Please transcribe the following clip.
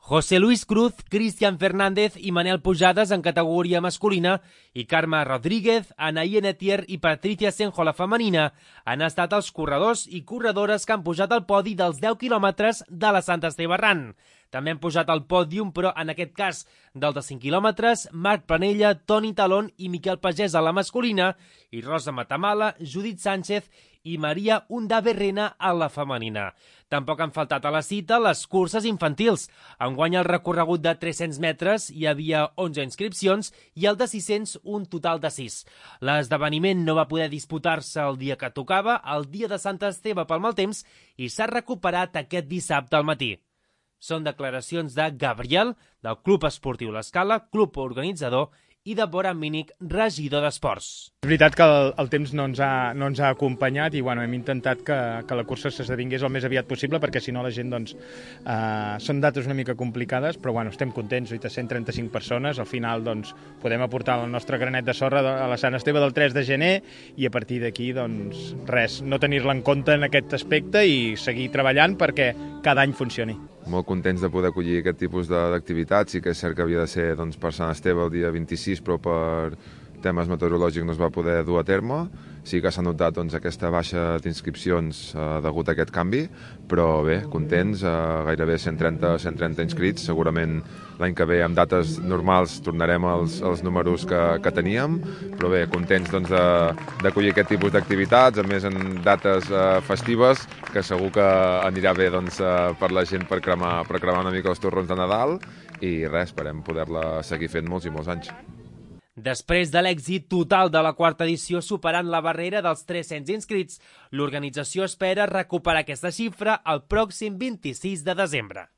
José Luis Cruz, Cristian Fernández i Manel Pujades en categoria masculina i Carme Rodríguez, Anaí Enetier i Patricia Senjo, la femenina, han estat els corredors i corredores que han pujat al podi dels 10 quilòmetres de la Sant Esteve Errant. També han pujat al pòdium, però en aquest cas del de 5 quilòmetres, Marc Planella, Toni Talón i Miquel Pagès a la masculina i Rosa Matamala, Judit Sánchez i Maria Undaberrena a la femenina. Tampoc han faltat a la cita les curses infantils. Enguany el recorregut de 300 metres hi havia 11 inscripcions i el de 600 un total de 6. L'esdeveniment no va poder disputar-se el dia que tocava, el dia de Sant Esteve pel mal temps, i s'ha recuperat aquest dissabte al matí. Són declaracions de Gabriel, del Club Esportiu L'Escala, club organitzador, i de Bora Mínic, regidor d'Esports. És veritat que el temps no ens ha acompanyat i hem intentat que la cursa s'esdevingués el més aviat possible, perquè si no la gent són dates una mica complicades, però estem contents. 135 persones, al final podem aportar el nostre granet de sorra a la Sant Esteve del 3 de gener i a partir d'aquí res, no tenir-la en compte en aquest aspecte i seguir treballant perquè cada any funcioni. Molt contents de poder acollir aquest tipus d'activitats. Sí que és cert que havia de ser per Sant Esteve el dia 26, però per temes meteorològics no es va poder dur a terme. Sí que s'ha notat aquesta baixa d'inscripcions degut a aquest canvi, però bé, contents, gairebé 130 inscrits. Segurament l'any que ve, amb dates normals, tornarem als números que teníem, però bé, contents d'acollir aquest tipus d'activitats, a més en dates festives, que segur que anirà bé per la gent per cremar una mica els torrons de Nadal, i res, esperem poder-la seguir fent molts i molts anys. Després de l'èxit total de la quarta edició superant la barrera dels 300 inscrits, l'organització espera recuperar aquesta xifra el pròxim 26 de desembre.